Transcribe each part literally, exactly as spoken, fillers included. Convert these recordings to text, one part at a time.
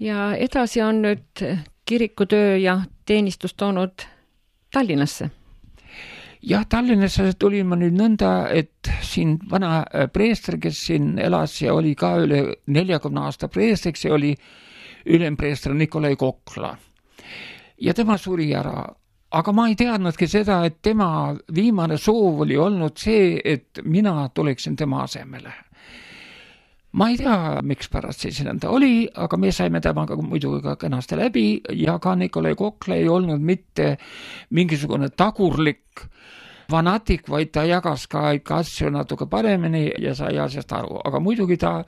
ja edasi on nüüd kirikutöö ja teenistus toonud Tallinnasse. Jah, Tallinnasse tulin ma nüüd nõnda, et siin vana preester, kes siin elas ja oli ka üle neljakümne aasta preestriks, ja oli ülempreester Nikolai Kokla. Ja tema suri ära. Aga ma ei teadnudki seda, et tema viimane soov oli olnud see, et mina tuleksin tema asemele. Ma ei tea, miks pärast see nõnda oli, aga me saime temaga muidugi ka kenasti läbi ja ka Nikolai Kokla ei olnud mitte mingisugune tagurlik fanatik, vaid ta jagas ka ikka asju natuke paremini ja sai asjast aru. Aga muidugi ta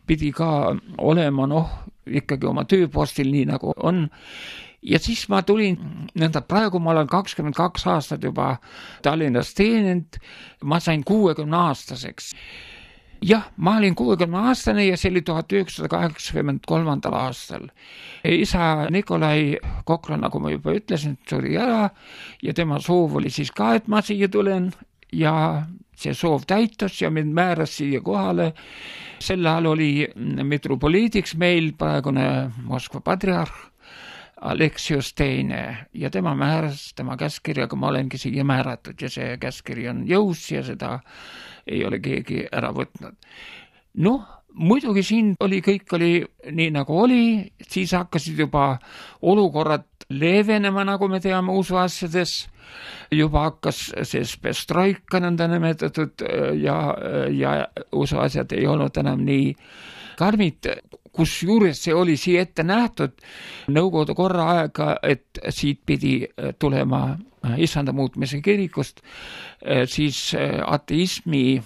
pidi ka olema noh, ikkagi oma tööpostil nii nagu on. Ja siis ma tulin, nõnda praegu ma olen kakskümmend kaks aastat juba Tallinnas teeninud, ma sain kuuekümne aastaseks. Jah, ma olin kuuekümne aastane ja see oli tuhat üheksasada kaheksakümmend kolm aastal. Isa Nikolai Kokla, nagu ma juba ütlesin, suri ära ja tema soov oli siis ka, et ma siia tulen ja see soov täitus ja mind määras siia kohale. Sel ajal oli metropoliidiks meil praegune Moskva patriarh Aleksios teine ja tema määras tema käskirjaga, ma olengi siia määratud ja see käskiri on jõus ja seda ei ole keegi ära võtnud. Noh, muidugi siin oli, kõik oli nii nagu oli, siis hakkasid juba olukorrad leevenema, nagu me teame usuasjades, juba hakkas see pestroika nõnda nimetatud ja, ja usuasjad ei olnud enam nii karmid, kus juures see oli siia ette nähtud Nõukogude korra aega, et siit pidi tulema Issanda muutmise kirikust, siis ateismi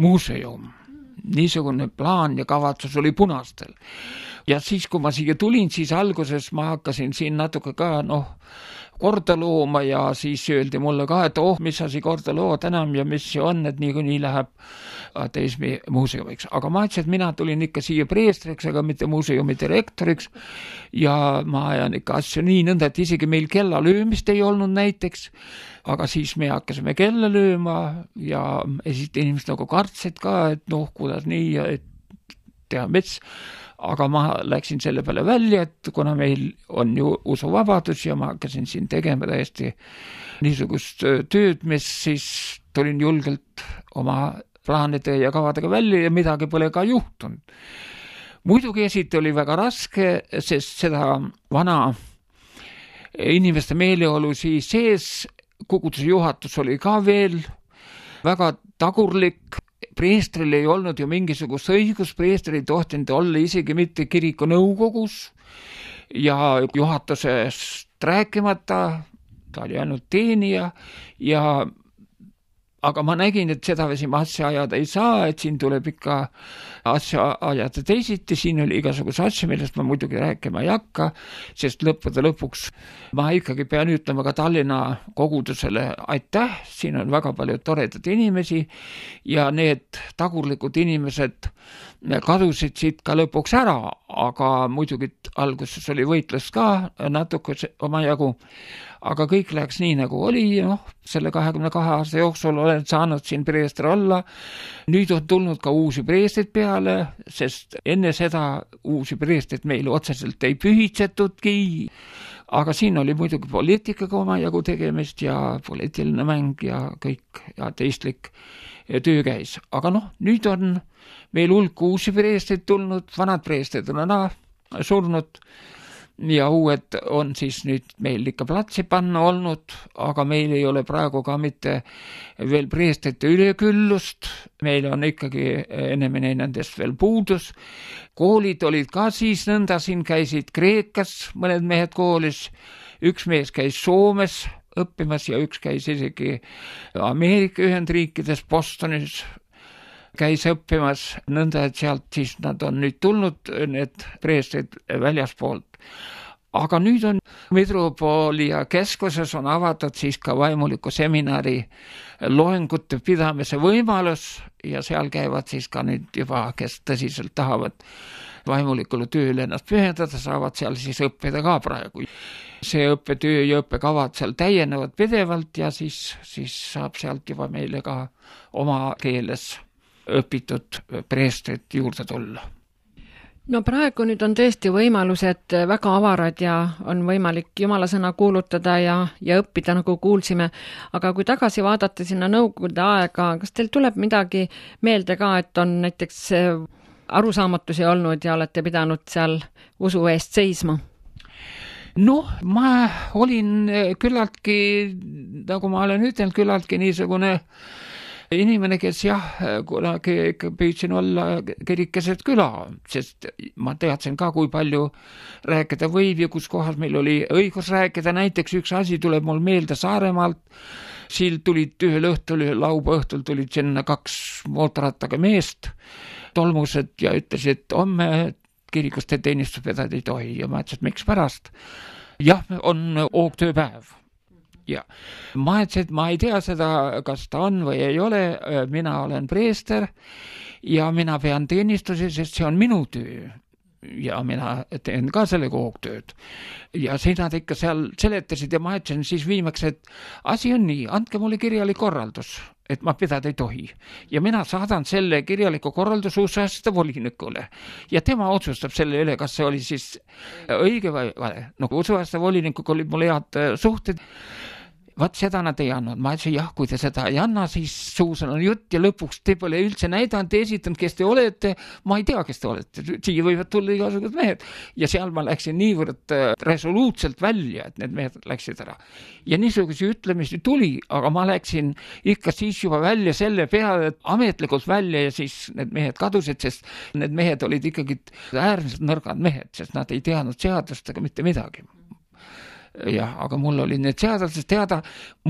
muuseum. Niisugune plaan ja kavatsus oli punastel. Ja siis, kui ma siia tulin, siis alguses ma hakkasin siin natuke ka, noh, korda looma ja siis öeldi mulle ka, et oh, mis sa siin korda lood enam ja mis see on, et nii kui nii läheb ateismi muuseumiks. Aga ma ütlesin, et mina tulin ikka siia preestriks, aga mitte muuseumi direktoriks ja ma ajan ikka asju nii nõnda, et isegi meil kella löömist ei olnud näiteks, aga siis me hakkasime kella lööma ja esit inimesed nagu kartsid ka, et noh, kuidas nii ja et teha mets. Aga ma läksin selle peale välja, et kuna meil on ju usuvabadus ja ma hakkasin siin tegema täiesti niisugust tööd, mis siis tulin julgelt oma plaanide ja kavadega välja ja midagi pole ka juhtunud. Muidugi esiti oli väga raske, sest seda vana inimeste meeleolu siis sees, koguduse juhatus oli ka veel väga tagurlik. Preestril ei olnud ju mingisugust õigus, preestril ei tohtinud olla isegi mitte kiriku nõukogus ja juhatusest rääkimata, ta oli ainult teenija ja aga ma nägin, et seda vesi ma asja ajada ei saa, et siin tuleb ikka asja ajada teisiti, siin oli igasuguse asja, millest ma muidugi rääkima ei hakka, sest lõppude lõpuks ma ikkagi pean ütlema ka Tallinna kogudusele aitäh, siin on väga palju toredad inimesi ja need tagurlikud inimesed kadusid siit ka lõpuks ära, aga muidugi alguses oli võitlus ka natuke oma jagu, aga kõik läks nii nagu oli, noh, selle kahekümne kahe aasta jooksul olen saanud siin preester olla. Nüüd on tulnud ka uusi preestrid peale, sest enne seda uusi preestrid meil otseselt ei pühitsetudki, aga siin oli muidugi poliitikaga oma jagu tegemist ja poliitiline mäng ja kõik ja teistlik töö käis. Aga noh, nüüd on meil hulk uusi preestrid tulnud, vanad preestrid on ära surnud, ja uued on siis nüüd meil ikka platsi panna olnud, aga meil ei ole praegu ka mitte veel preestrite üleküllust, meil on ikkagi enemene nendest veel puudus. Koolid olid ka siis nõnda, siin käisid Kreekas mõned mehed koolis, üks mees käis Soomes õppimas ja üks käis isegi Ameerika Ühendriikides Bostonis käis õppimas, nõnda, et sealt siis nad on nüüd tulnud, need preestrid väljaspoolt. Aga nüüd on Metropolia keskuses on avatud siis ka vaimuliku seminari loengute pidamise võimalus ja seal käivad siis ka nüüd juba, kes tõsiselt tahavad vaimulikule tööle ennast pühendada, saavad seal siis õppida ka praegu. See õppetöö ja õppekavad seal täienevad pidevalt ja siis, siis saab sealt juba meile ka oma keeles õpitud preestrit juurde tulla. no praegu nüüd on tõesti võimalused väga avarad ja on võimalik jumala sõna kuulutada ja, ja õppida, nagu kuulsime. Aga kui tagasi vaadata sinna nõukogude aega, kas teil tuleb midagi meelde ka, et on näiteks arusaamatusi olnud ja olete pidanud seal usu eest seisma? Noh, ma olin küllaltki, nagu ma olen ütelnud, küllaltki niisugune inimene, kes jah, kunagi püüdsin olla kirikeset küla, sest ma teadsin ka, kui palju rääkida võib ja kus kohas meil oli õigus rääkida. Näiteks üks asi tuleb mul meelde Saaremaalt. Siil tulid ühel õhtul, laupäeva õhtul tulid sinna kaks mootorrattaga meest, tolmused ja ütlesid, et homme kirikuste teenistus vedada ei tohi ja ma ütlesin, et miks pärast? Jah, on oogtööpäev. Ja ma ütlesin, et ma ei tea seda, kas ta on või ei ole, mina olen preester ja mina pean teenistusi, sest see on minu töö. Ja mina teen ka selle koogtööd. Ja siin nad ikka seal seletasid ja ma ütlesin siis viimaks, et asi on nii, andke mulle kirjalik korraldus, et ma pidada ei tohi. Ja mina saadan selle kirjaliku korralduse usuasjade volinikule. Ja tema otsustab selle üle, kas see oli siis õige või vale. No usuasjade volinikuga olid mul head suhted. Vaat seda nad ei andnud. Ma ütlesin, jah, kui te seda ei anna, siis suusan on jutt ja lõpuks te pole üldse näidanud, te esitanud, kes te olete. Ma ei tea, kes te olete. Siia võivad tulla igasugused mehed. Ja seal ma läksin niivõrd resoluutselt välja, et need mehed läksid ära. Ja niisuguse ütlemisi tuli, aga ma läksin ikka siis juba välja selle peale, et ametlikult välja ja siis need mehed kadusid, sest need mehed olid ikkagi äärmiselt nõrgad mehed, sest nad ei teadnud seadust ega mitte midagi. Jah, aga mul oli need seadusest teada,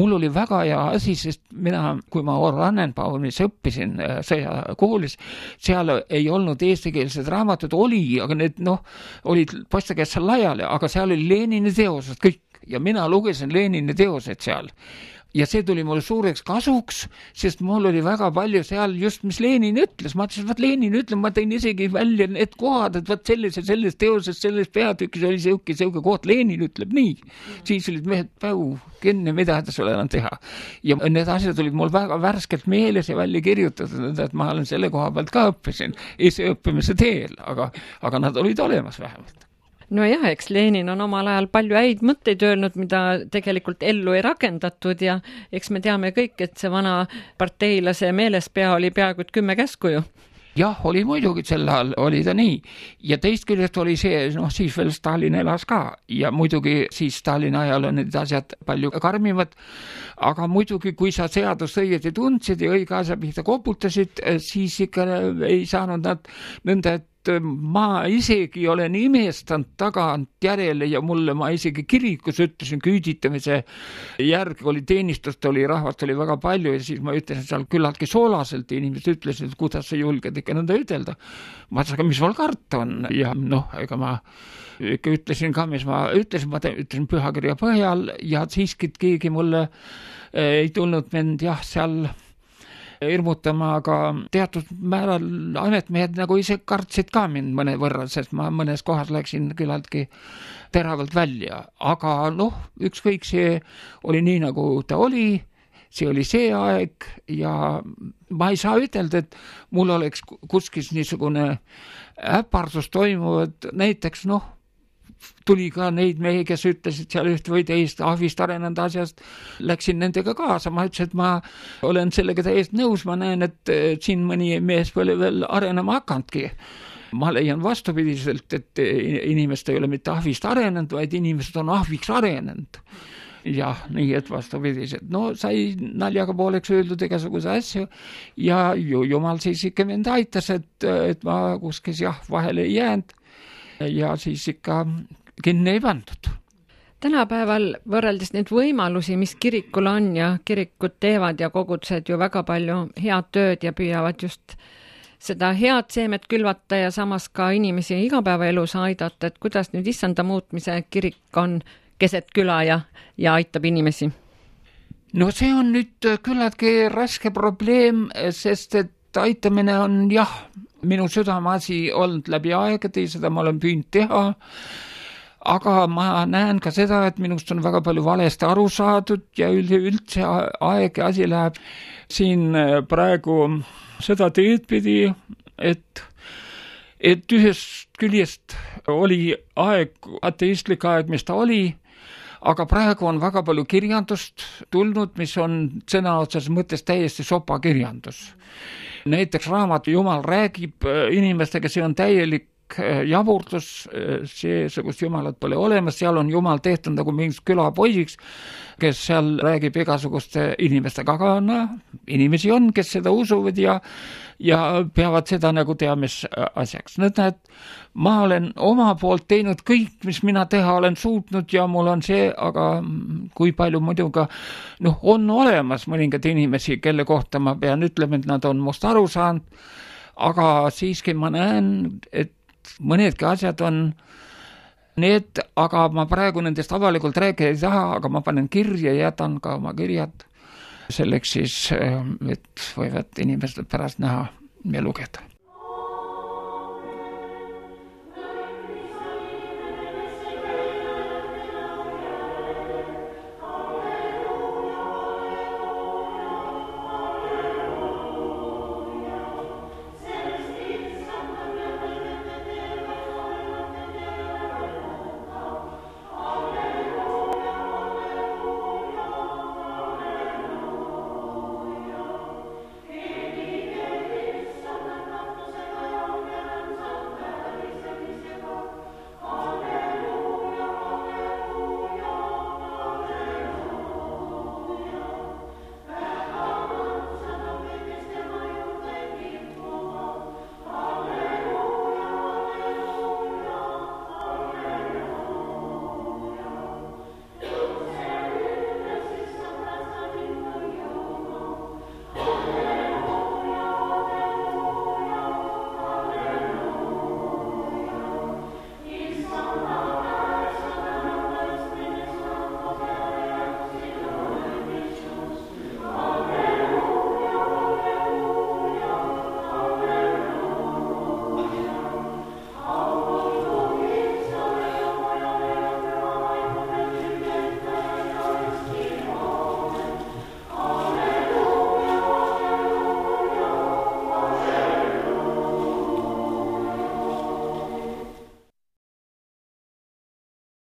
mul oli väga hea asi, sest mina, kui ma Orannenbaumis õppisin sõjakoolis, seal ei olnud eestikeelsed raamatud, oli, aga need noh, olid poiste käes seal laiali, aga seal oli Lenini teosed kõik ja mina lugesin Lenini teosed seal. Ja see tuli mulle suureks kasuks, sest mul oli väga palju seal just, mis Lenin ütles. Ma ütlesin, et Lenin ütleb, ma tõin isegi välja need kohad, et võt selles ja selles teoses, selles peatükis oli seuke, seuke koht. Lenin ütleb nii. Siis olid mehed päu, kenne, mida ta sulle enam teha. Ja need asjad olid mul väga värskelt meeles ja välja kirjutatud, et ma olen selle koha pealt ka õppisin. Ise õppimise teel, aga, aga nad olid olemas vähemalt. No jah, eks Lenin on omal ajal palju häid mõtteid öelnud, mida tegelikult ellu ei rakendatud ja eks me teame kõik, et see vana parteilase meelespea oli peaaegu kümme käsku ju. Jah, oli muidugi sel ajal, oli ta nii. Ja teist küljest oli see, noh siis veel Stalin elas ka ja muidugi siis Stalini ajal on need asjad palju karmimad, aga muidugi kui sa seadust õieti tundsid ja õige asja pihta koputasid, siis ikka ei saanud nad nõnda, et ma isegi olen imestanud tagant järele ja mulle ma isegi kirikus ütlesin küüditamise järgi oli teenistust, oli rahvast oli väga palju ja siis ma ütlesin seal küllaltki soolaselt inimesed ütlesid, et kuidas sa julged ikka nõnda ütelda. Ma ütlesin, aga mis mul karta on ja noh, ega ma ikka ütlesin ka, mis ma ütlesin, ma ütlesin pühakirja põhjal ja siiski keegi mulle ei tulnud mind jah, seal hirmutama, aga teatud määral ametmehed nagu ise kartsid ka mind mõne võrra, sest ma mõnes kohas läksin küllaltki teravalt välja. Aga noh, ükskõik see oli nii, nagu ta oli, see oli see aeg ja ma ei saa ütelda, et mul oleks kuskil niisugune äpardus toimuvad, näiteks noh, tuli ka neid mehi, kes ütlesid seal üht või teist ahvist arenenud asjast, läksin nendega kaasa, ma ütlesin, et ma olen sellega täiesti nõus, ma näen, et siin mõni mees pole veel arenema hakandki. Ma leian vastupidiselt, et inimesed ei ole mitte ahvist arenenud, vaid inimesed on ahviks arenenud. Jah, nii et vastupidiselt. No sai naljaga pooleks öeldud igasuguse asju ja ju, jumal siis ikka mind aitas, et, et ma kuskis jah, vahele ei jäänud. Ja siis ikka kinni ei pandud. Tänapäeval võrreldes neid võimalusi, mis kirikul on ja kirikud teevad ja kogudused ju väga palju head tööd ja püüavad just seda head seemet külvata ja samas ka inimesi igapäevaelus aidata, et kuidas nüüd issanda muutmise kirik on keset küla ja, ja aitab inimesi? No see on nüüd küllaltki raske probleem, sest et aitamine on jah, minu südameasi olnud läbi aegade, seda ma olen püünud teha, aga ma näen ka seda, et minust on väga palju valesti aru saadud ja üldse aeg ja asi läheb siin praegu seda teed pidi, et et ühest küljest oli aeg, ateistlik aeg, mis ta oli, aga praegu on väga palju kirjandust tulnud, mis on sõna otseses mõttes täiesti sopakirjandus. Näiteks raamat Jumal räägib inimestega, see on täielik jaburtus, seesugust Jumalat pole olemas, seal on Jumal tehtud nagu mingiks külapoisiks, kes seal räägib igasuguste inimestega, aga no, inimesi on, kes seda usuvad ja, ja peavad seda nagu teamis asjaks. Nüüd näed, ma olen oma poolt teinud kõik, mis mina teha olen suutnud ja mul on see, aga kui palju muidugi noh, on olemas mõningad inimesi, kelle kohta ma pean ütlema, et nad on must aru saanud, aga siiski ma näen, et mõnedki asjad on need, aga ma praegu nendest avalikult rääkida ei taha, aga ma panen kirja ja jätan ka oma kirjad selleks siis, et võivad inimesed pärast näha ja lugeda.